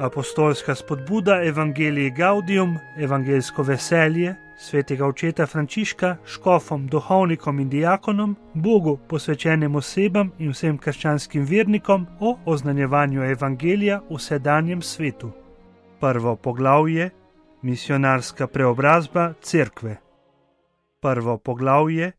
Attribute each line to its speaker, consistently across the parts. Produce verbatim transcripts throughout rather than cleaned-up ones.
Speaker 1: Apostolska spodbuda Evangelii Gaudium, evangeljsko veselje, svetega očeta Frančiška, škofom, duhovnikom in diakonom, Bogu posvečenim osebam in vsem krščanskim vernikom o oznanjevanju evangelija v sedanjem svetu. Prvo poglavje: Misionarska preobrazba cerkve. Prvo poglavje: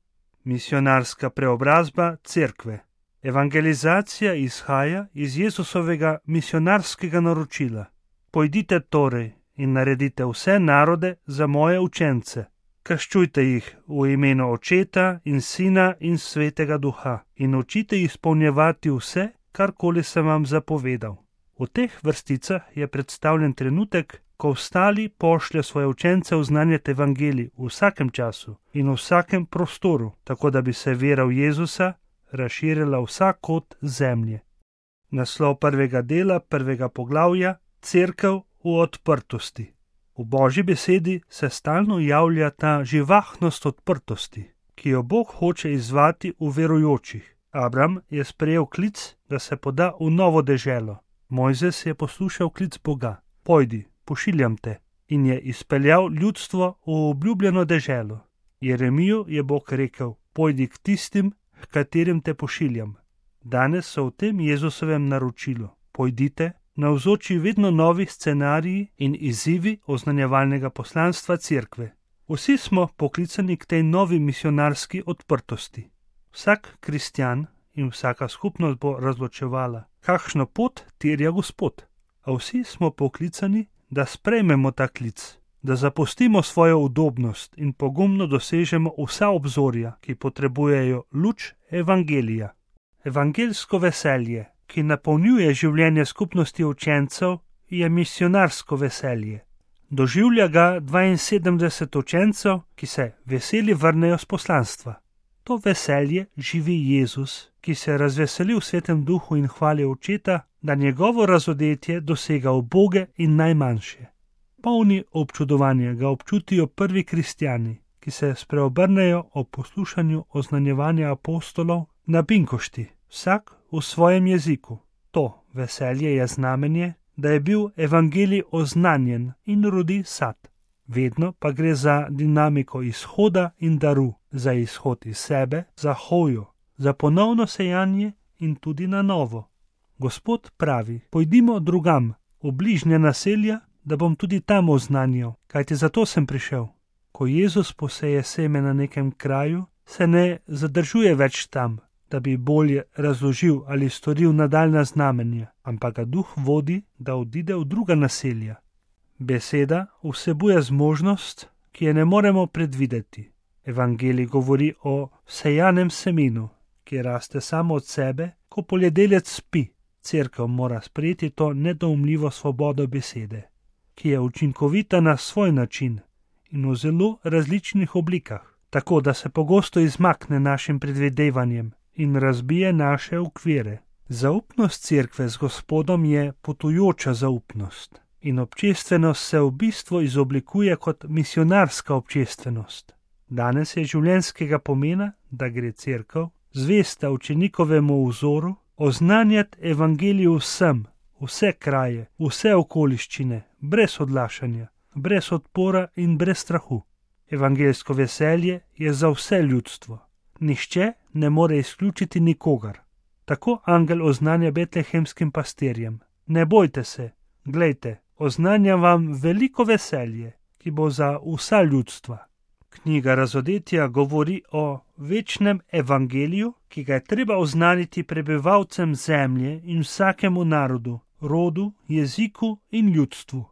Speaker 1: Misionarska preobrazba cerkve. Evangelizacija izhaja iz Jezusovega misionarskega naročila. Pojdite torej in naredite vse narode za moje učence. Krščujte jih v imenu Očeta in Sina in Svetega Duha in učite jih izpolnjevati vse, karkoli sem vam zapovedal. V teh vrsticah je predstavljen trenutek, ko ostali pošlje svoje učence oznanjati evangelij v vsakem času in v vsakem prostoru, tako da bi se vera v Jezusa razširila vsak kot zemlje. Naslov prvega dela prvega poglavja: Cerkev v odprtosti. V Božji besedi se stalno javlja ta živahnost odprtosti, ki jo Bog hoče izzvati v verujočih. Abram je sprejel klic, da se poda v novo deželo. Mojzes je poslušal klic Boga: Pojdi, pošiljam te, in je izpeljal ljudstvo v obljubljeno deželo. Jeremiju je Bog rekel: Pojdi k tistim, k katerim te pošiljam. Danes so v tem Jezusovem naročilu: Pojdite, navzoči vedno novi scenariji in izzivi oznanjevalnega poslanstva cerkve. Vsi smo poklicani k tej novi misionarski odprtosti. Vsak kristjan in vsaka skupnost bo razločevala, kakšno pot terja Gospod. A vsi smo poklicani, da sprejmemo ta klic, da zapustimo svojo udobnost in pogumno dosežemo vsa obzorja, ki potrebujejo luč evangelija. Evangeljsko veselje, ki napolnjuje življenje skupnosti učencev, je misionarsko veselje. Doživlja ga dvainsedemdeset učencev, ki se veseli vrnejo s poslanstva. To veselje živi Jezus, ki se razveseli v Svetem Duhu in hvali Očeta, da njegovo razodetje dosega uboge in najmanjše. Polni občudovanja ga občutijo prvi kristjani, ki se spreobrnejo ob poslušanju oznanjevanja apostolov na binkošti, vsak v svojem jeziku. To veselje je znamenje, da je bil evangelij oznanjen in rodi sad. Vedno pa gre za dinamiko izhoda in daru, za izhod iz sebe, za hojo, za ponovno sejanje in tudi na novo. Gospod pravi: Pojdimo drugam, v bližnje naselja, da bom tudi tam oznanjal, kajti zato sem prišel. Ko Jezus poseje seme na nekem kraju, se ne zadržuje več tam, da bi bolje razložil ali storil nadaljnja znamenja, ampak ga Duh vodi, da odide v druga naselja. Beseda vsebuje zmožnost, ki je ne moremo predvideti. Evangelij govori o sejanem semenu, ki raste samo od sebe, ko poljedelec spi. Cerkev mora sprejeti to nedoumljivo svobodo besede, ki je učinkovita na svoj način in v zelo različnih oblikah, tako da se pogosto izmakne našim predvidevanjem in razbije naše okvire. Zaupnost cerkve z Gospodom je potujoča zaupnost in občestvenost se v bistvu izoblikuje kot misionarska občestvenost. Danes je življenjskega pomena, da gre cerkev, zvesta učenikovemu vzoru, oznanjati evangelij vsem, vse kraje, vse okoliščine, brez odlašanja, brez odpora in brez strahu. Evangeljsko veselje je za vse ljudstvo. Nihče ne more izključiti nikogar. Tako angel oznanja betlehemskim pastirjem: Ne bojte se, glejte, oznanjam vam veliko veselje, ki bo za vsa ljudstva. Knjiga Razodetja govori o večnem evangeliju, ki ga je treba oznaniti prebivalcem zemlje in vsakemu narodu, rodu, jeziku in ljudstvu.